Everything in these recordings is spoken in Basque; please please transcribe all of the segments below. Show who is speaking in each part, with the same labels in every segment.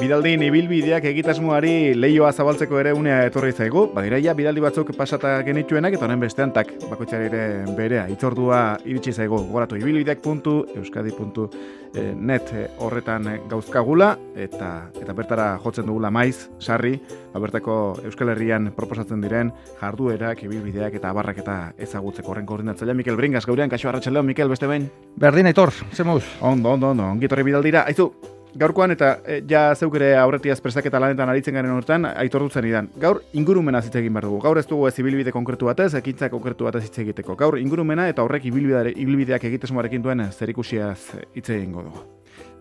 Speaker 1: bidaldin ibilbideak egitasmoari leioa zabaltzeko ere unea etorri zaigu. Badira ja bidaldi batzuk pasata genituenak eta honen bestean bakoitzari ere berea itzordua iritsi zaigu. Gogoratu ibilbideak.euskadi.net horretan gauzkagula eta bertara jotzen dugula maiz, sarri, bertako Euskal Herrian proposatzen diren jarduerak, ibilbideak eta abarrak eta ezagutzeko horren koordinatzailea Mikel Bringas gaurean. Kaixo arratsaldeon Mikel, beste behin.
Speaker 2: Berdin aitor, zemuz?
Speaker 1: Ondo, ongi etorri bidaldira. Aizu, gaurkoan eta ja zeuk ere aurretiaz prestaketa lanetan aritzen garen hortan, aitor dutzen idan. Gaur ingurumena hitz egin behar dugu. Gaur ez dugu ez ibilbide konkretu batez, ekintza konkretu batez hitz egiteko. Gaur ingurumena eta horrek ibilbideak egitesmoarekin duen zerikusiaz hitz egingo dugu.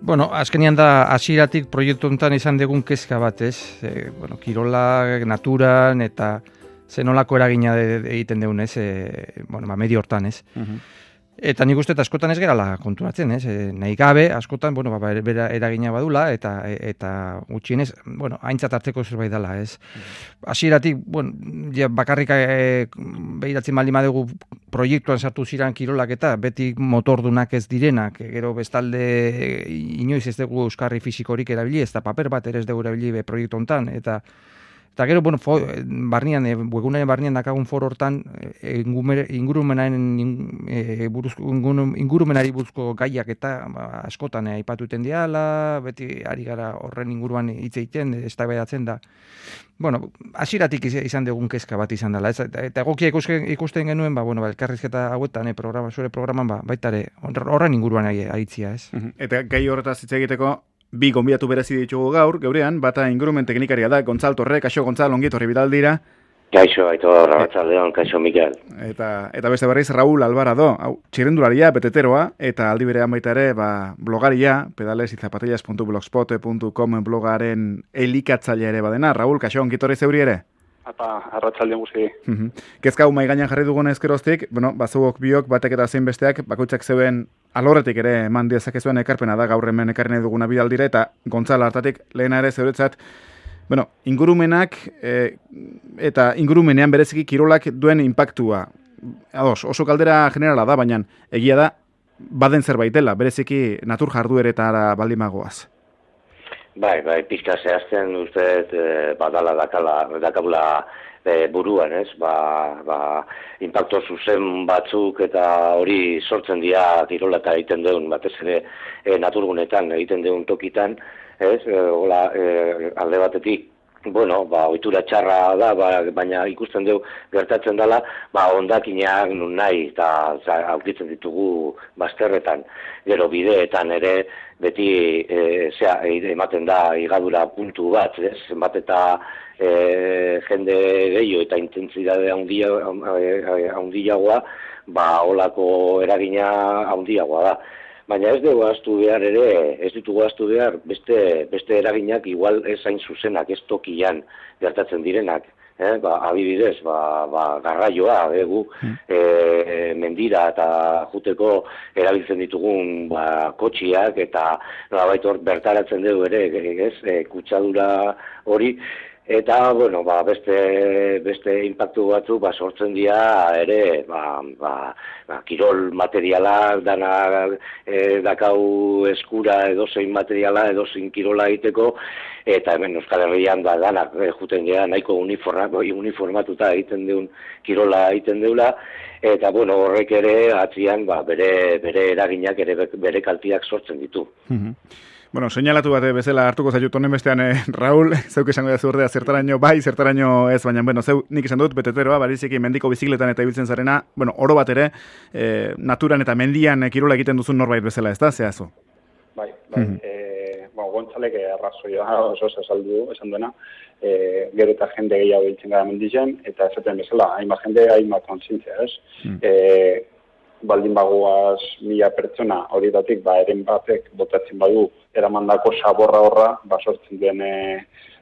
Speaker 2: Bueno, azkenian da hasieratik proiektu honetan izan dugun kezka bat, ez? Kirola, naturan eta zenolako eragina egiten deun, ez? Medio hortan, ez? Eta nik uste askotan ez gerala konturatzen, ez? Nahi gabe, askotan, bera eragina badula, eta gutxienez, aintzat hartzeko zerbait dela, ez? Hasieratik, bakarrik behiratzen baldin badugu proiektuan sartu ziren kirolak eta beti motordunak ez direnak, gero bestalde inoiz ez dugu euskarri fisikorik erabili, ez da paper bat ere ez dugu erabili proiektu honetan, eta gero, webgunaren barnean dakagun foro hortan ingurumenari buruzko gaiak eta askotan aipatuten diala, beti ari gara horren inguruan hitz egiten, eztabaidatzen da. Hasieratik izan dugun kezka bat izan dela, eta egokia ikusten genuen, elkarrizketa hauetan, zure programan, baita ere, horren inguruan aritzia, ez?
Speaker 1: Eta gai horretaz hitz egiteko, bi gonbidatu berezi ditugu gaur, geurean, bata ingurumen teknikaria da, Gontzal Torre, kaixo Gontzal, ongi etorri bidaldira.
Speaker 3: Kaixo, aitor, arratsaldeon, kaixo Mikel.
Speaker 1: Eta beste berriz, Raúl Alvarado, txirrendularia, beteteroa, eta aldi berean baita ere, blogaria, pedalesyzapatillas.blogspot.com blogaren elikatzailea ere badena. Raúl, kaixo, ongi etorri zeuri ere?
Speaker 4: Arratsaldeon guzti.
Speaker 1: Kezka hau mahai gainean jarri dugun ezkeroztik, bazuok biok, batek eta zein besteak, bakoitzak zeuen alorretik ere eman dezakezuen ekarpena da gaur hemen ekarri nahi duguna bidaldira, eta Gontzal hartatik lehena ere zeuretzat, ingurumenak eta ingurumenean bereziki kirolak duen impactua. Oso kaldera generala da, baina egia da, baden zerbait dela, bereziki natur jardueretara baldin magoaz.
Speaker 3: Bai, pizka zehazten uste badala dakabula buruan, ez? Impacto zuzen batzuk eta hori sortzen dira kirola eta egiten duen, batez ere naturgunetan egiten duen tokitan, ez? Alde batetik, ohitura txarra da, baina ikusten dugu gertatzen dela, hondakinak nun nahi eta aurkitzen ditugu bazterretan, gero bideetan ere beti ematen da higadura puntu bat, zenbat eta jende gehiago eta intentsitate handiagoa, holako eragina handiagoa da. Baina ez ditugu ahaztu behar beste eraginak igual ez hain zuzenak, ez tokian gertatzen direnak. Adibidez, garraioa, mendira eta juteko erabiltzen ditugun kotxiak eta nolabait hor bertaratzen dugu ere, kutsadura hori. Eta, beste impactu batzuk sortzen dira ere, kirol materiala, dana dakau eskura edozein materiala, edozein kirola egiteko, eta hemen Euskal Herrian danak juten gara nahiko uniformatuta egiten deun kirola egiten deula, eta horrek ere atzian bere eraginak, bere kaltiak sortzen ditu.
Speaker 1: Seinalatu bat bezala hartuko zaitut honen bestean, Raúl, zeuk esango da zurdea zertaraino bai, zertaraino ez, baina, zeu nik esan dut, beteteroa, bariziki mendiko bizikletan eta ibiltzen zarena, oro bat ere, naturan eta mendian kirola egiten duzun norbait bezala, ez da, zehazu?
Speaker 4: Bai, Gontzalek arrazoia oso esan duena, gero eta jende gehiago biltzen gara mendizen, eta esaten bezala, hainbat jende, hainbat kontzientzia, ez? Baldin bagoaz 1000 pertsona horietatik eren batek botatzen badu eramandako saborra horra sortzen duen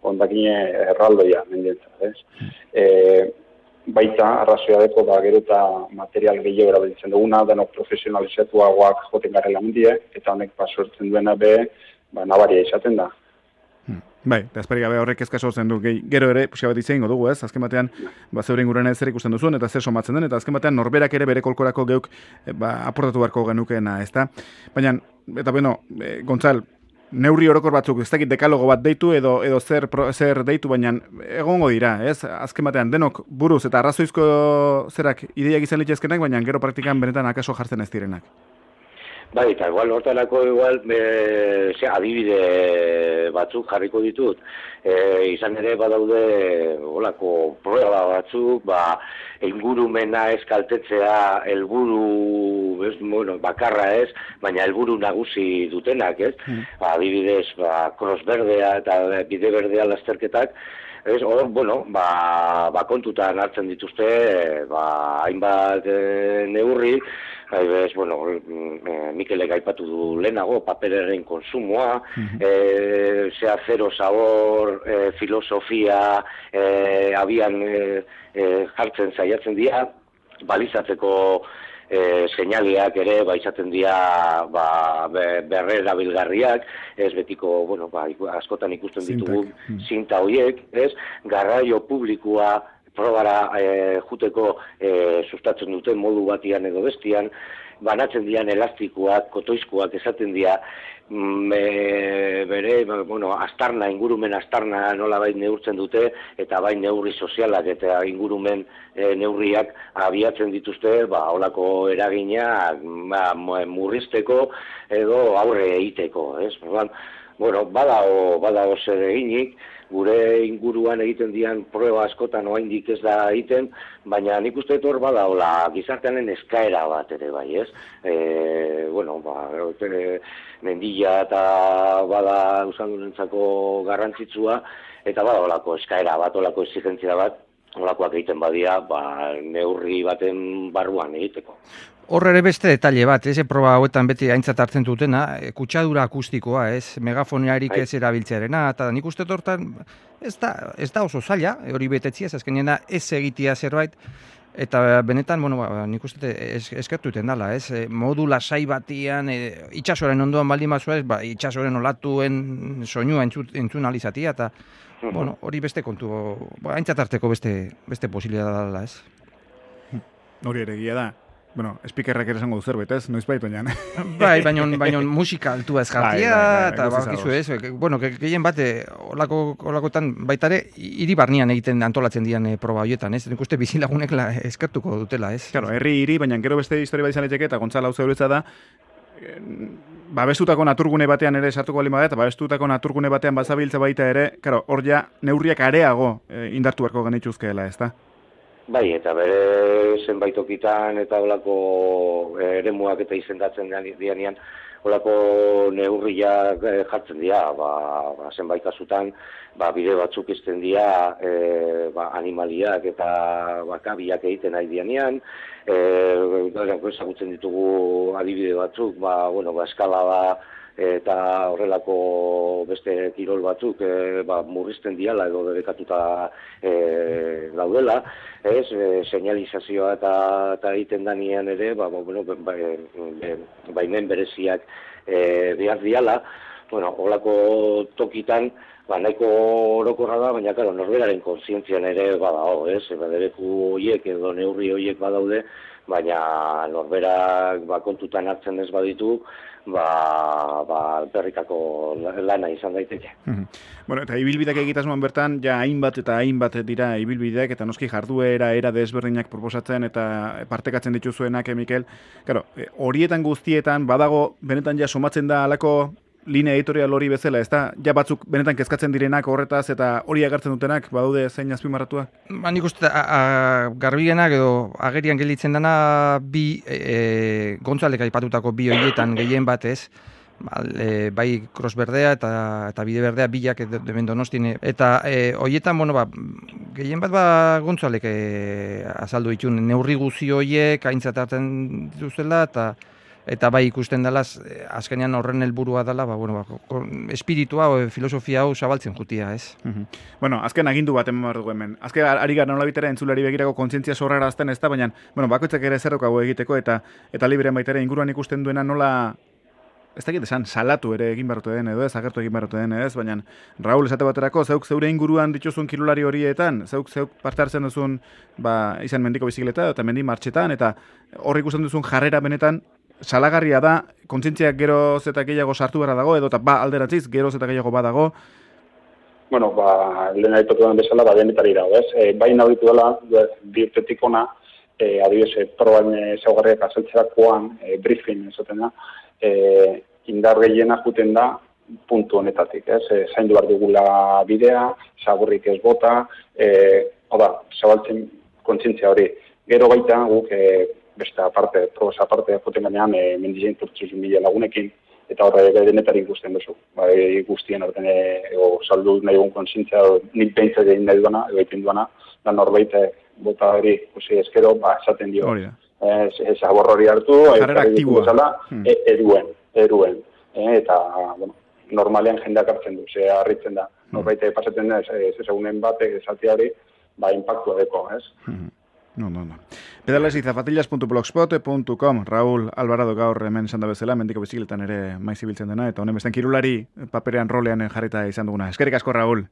Speaker 4: hondakine erraldoia mendientzat, ez? Baita arrazoia deko gero eta material gehiago erabiltzen duguna, denok profesionalizatuagoak joten garela mendie, eta honek sortzen duena nabaria izaten da.
Speaker 1: Bai, eta esperi gabe horrek kezka sortzen du. Gero ere, puxia bat izango dugu, ez? Azken batean, zeure inguruan zer ikusten duzuen, eta zer somatzen den, eta azken batean norberak ere bere kolkorako geuk aportatu beharko genukena, ez da? Baina, eta Gontzal, neurri orokor batzuk, ez dakit dekalogo bat deitu edo zer deitu, baina egongo dira, ez? Azken batean, denok buruz eta arrazoizko zerak ideiak izan litezkenak, baina gero praktikan benetan akaso jartzen ez direnak.
Speaker 3: Bai, eta igual hortarako adibide batzuk jarriko ditut. Izan ere badaude olako prueba batzuk, ingurumena ez kaltetzea helburu bakarra ez, baina helburu nagusi dutenak, ez? Adibidez, Cross Berdea eta Bide Berdea lasterketak, ez, kontutan hartzen dituzte, hainbat neurri, Mikelek aipatu du lehenago, papereren konsumoa, zero sabor, filosofia, abian jartzen saiatzen dira, balizatzeko seinaleak ere izaten dira berrerabilgarriak, ez betiko, askotan ikusten ditugu zinta horiek, ez, garraio publikoa probara juteko sustatzen duten modu batian edo bestian, banatzen dian elastikoak, kotoizkoak esaten dira, ingurumen astarna nolabait neurtzen dute, eta bai neurri sozialak eta ingurumen neurriak abiatzen dituzte, holako eragina murrizteko edo aurre egiteko, ez? Badago zer eginik, gure inguruan egiten dian prueba askotan oraindik ez da egiten, baina nik uste hor badaola gizartearen eskaera bat ere bai, ez? Mendila eta bada usandurentzako garrantzitsua, eta badaolako eskaera bat, olako exigentzia bat, olakoak egiten badia, neurri baten barruan egiteko.
Speaker 2: Hor ere beste detalle bat, proba hauetan beti aintzat hartzen dutena, kutsadura akustikoa, megafoniarik ez erabiltzearena, eta nik uste hortan ez da oso zaila, hori betetzia, azkenena ez egitea zerbait, eta benetan, nik uste eskertu iten dela, modu lasai batian, itxasoren ondoan baldin bazua itxasoren olatuen soinua entzun alizatia, eta hori beste kontu, aintzat harteko beste posibilitatea dela, ez?
Speaker 1: Hori ere gila da. Speakerrak ere esango du zerbait, ez? Noiz bait, baina.
Speaker 2: Bai, baina musika altua ez jartia, eta bakizu ez, gehien bat, olakotan baitare, hiri barnean egiten antolatzen dian proba horietan, ez? Nik uste bizilagunek eskertuko dutela, ez?
Speaker 1: Claro, hiri, baina gero beste historia bat izan leteke, eta Gontzala hau zeuretza da, babestutako naturgune batean ere sartuko balin bada, eta babestutako naturgune batean bazabiltza baita ere, claro, neurriak areago indartu beharko genituzkeela, ez da?
Speaker 3: Bai, eta bere zenbait tokitan eta olako eremuak eta izendatzen dianean, olako neurriak jartzen dira, zenbait kasutan, bide batzuk izten dira animaliak eta kabiak egiten nahi dianean, ezagutzen ditugu adibide batzuk, eskala eta horrelako beste kirol batzuk murrizten diala edo debekatuta daudela, señalizazioa eta egiten danean ere, baimen bereziak behar diala, horrelako tokitan, nahiko orokorra da, baina, norberaren kontzientzian ere badao, debeku horiek edo neurri horiek badaude, baina norberak kontutan hartzen ez baditu, berrikako lana izan daiteke.
Speaker 1: Eta ibilbideak egitasmoan bertan, hainbat eta hainbat dira ibilbideak, eta noski jarduera, era desberdinak proposatzen eta partekatzen dituzuenak, Mikel. Horietan guztietan, badago, benetan somatzen da alako linea editorial hori bezala, ez da? Batzuk benetan kezkatzen direnak horretaz eta hori agertzen dutenak, badaude zein azpimarratuak?
Speaker 2: Nik uste garbienak edo agerian gelditzen dana bi Gontzalek aipatutako bi horietan gehien batez, bai Cross Berdea eta Bide Berdea bilak hemen Donostin, eta horietan, gehien bat Gontzalek azaldu ditun neurri guzi horiek aintzat hartzen dituzela, eta bai ikusten dela, azkenean horren helburua dela, espiritua o filosofia hau zabaltzen jutia, ez?
Speaker 1: Azken agindu bat eman behar dugu hemen. Azken ari gara nolabitera entzulari begirako kontzientzia sorrarazten ez da, baina, bakoitzak ere zerrokago egiteko eta liberen baita ere inguruan ikusten duena nola, ez dakit esan, salatu ere egin barrote den edo ez, agertu egin barrote den ez, baina Raul esate baterako, zeuk zeure inguruan dituzun kirolari horietan, zeuk parte hartzen duzun, izan mendiko bizikleta eta mendi martxetan, eta hor ikusten duzun jarrera benetan, salagarria da, kontzientziak geroz eta gehiago sartu behar dago, edo eta alderatziz, geroz eta gehiago badago.
Speaker 4: Bueno, lehen aipatu den bezala, denetari dago, ez? Bai nabitu dela, bi urtetik ona, adibidez, probain ezaugarriak azaltzerakoan, briefing esaten da, indar gehiena juten da puntu honetatik, ez? Zaindu behar dugula bidea, zaborrik ez bota, zabaltzen kontzientzia hori. Gero baita guk beste aparte, probaz aparte, joten ganean, mendizein turtzuzun mila lagunekin, eta horre denetari ikusten duzu. Bai, guztien horten saldu nahi egun kontzientzia, nik behintzat egin nahi duana, egiten duana, da norbait bota hori, eskero, esaten dio. Zabor hori hartu,
Speaker 1: jarrera aktibua.
Speaker 4: Eruen. Eta, bueno, normalean jendeak hartzen du, harritzen da. Norbait pasatzen da, ezagunen batek, esatia hori, impactua deko, ez?
Speaker 1: No. Pedales y zapatillas.blogspot.com. Raúl Alvarado gaur hemen esan da bezala, mendiko bizikletan ere maiz ibiltzen dena, eta honen besten kirulari paperean rolean jarrita izan duguna. Eskerrik asko, Raúl.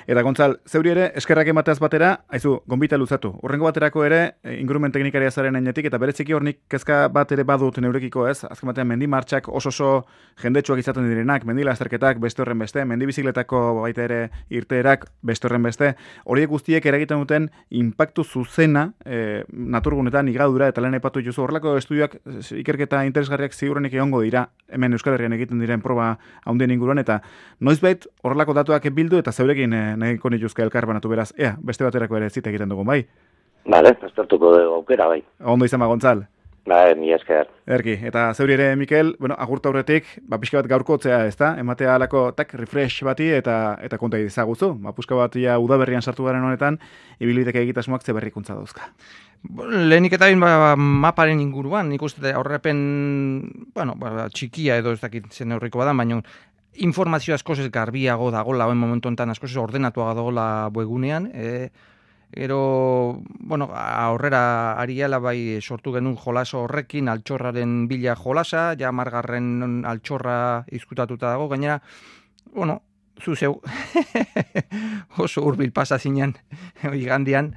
Speaker 1: Eta Gontzal, zeuri ere, eskerrak emateaz batera, haizu, gonbita luzatu. Urrengo baterako ere, ingurumen teknikaria zaren enetik, eta bereziki hornik kezka bat ere badut neurekiko, ez? Azken batean, mendi martxak oso jendetsuak izaten direnak, mendi lasterketak beste horren beste, mendi bizikletako baita ere irteerak beste horren beste, horiek guztiek eragiten duten inpaktu zuzena, naturgunetan, igadura, eta lehen aipatu juzu, horrelako estudioak, ikerketa interesgarriak ziurrenik egongo dira, hemen Euskal Herrian egiten diren proba handien inguruan, eta noizbait horrelako datuak bildu eta zeurekin nahiko nituzke elkarbanatu beraz, beste baterako ere zita egiten dugun, bai?
Speaker 3: Bale, estartuko dugu aukera, bai.
Speaker 1: Ondo izan Gontzal.
Speaker 3: Bai, mi esker.
Speaker 1: Erki, eta zeuri ere, Mikel, agurta horretik, pixka bat gaurkotzea, ez da? Ematea alako, refresh bati eta konta izaguzu. Puska bat udaberrian sartu garen honetan, ibilbideke egitasmoak ze berrikuntza dauzka.
Speaker 2: Lehenik eta maparen inguruan, nik uste aurrepen, txikia edo ez dakit zen aurriko bada, baina informazio askoz ez garbiago dagoela, oen momentu enten askoz ez ordenatuago dagoela webgunean, gero, aurrera ariala bai sortu genuen jolaso horrekin, altxorraren bila jolasa, ja margarren altxorra izkutatuta dago, gainera, zu zeu, oso urbil pasa zinen, igandian.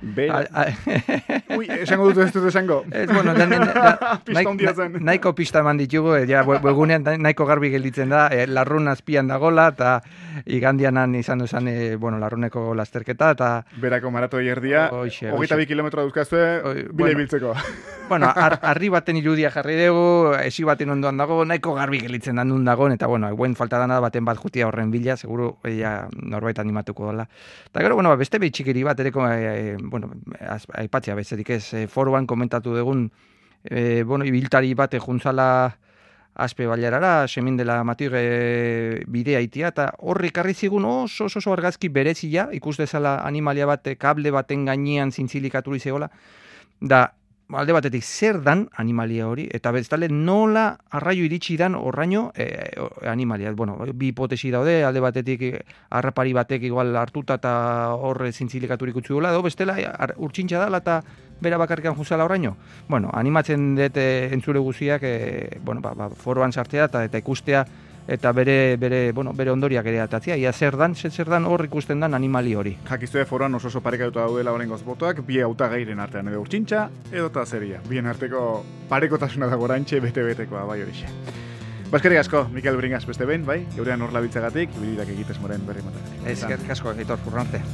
Speaker 1: Ui, esango dut ez dut esango.
Speaker 2: Pista hundia zen. Nahiko pista eman ditugu, webgunean nahiko garbi gelditzen da, larrun azpian dagola, eta igandianan izan duzan, larruneko lasterketa, eta...
Speaker 1: Berako maratoi erdia, 22 kilometro dauzkazue, bile biltzeko.
Speaker 2: Arri baten irudia jarri dugu, esi baten ondoan dago, nahiko garbi gelditzen da nun dagoen, eta guen falta dana baten bat jutia horren bila, seguru norbait animatuko dela. Eta gero, beste behitxikiri bat ereko, aipatzea bezetik ez, foroan komentatu dugun, ibiltari bat juntzala aspe bailarara, semin dela matir bidea itia, eta horri karri zigun oso argazki berezia, ikus dezala animalia bat, kable baten gainean zintzilikaturi zegoela, da, alde batetik zer dan animalia hori, eta bestale nola arraio iritsi dan horraino animalia. Bi hipotesi daude, alde batetik harrapari batek igual hartuta eta horre zintzilikaturik utzi duela, edo bestela urtsintxa dala eta bera bakarrikan juzala horraino. Animatzen dut entzule guziak, foroan sartzea eta ikustea, eta bere ondoriak ere atatzea. Ia zer dan hor ikusten dan animali hori.
Speaker 1: Jakizue foroan oso parekatuta daudela horrengoz botoak, bi hautagairen artean edo urtsintxa, edo eta zeria. Bien arteko parekotasuna dago oraintxe bete-betekoa, bai horixe. Eskerrik asko, Mikel Bringaz beste behin, bai? Geurean hor labiltzagatik, bilidak egitez moren berri matatik.
Speaker 2: Eskerrik asko, Aitor, urrarte.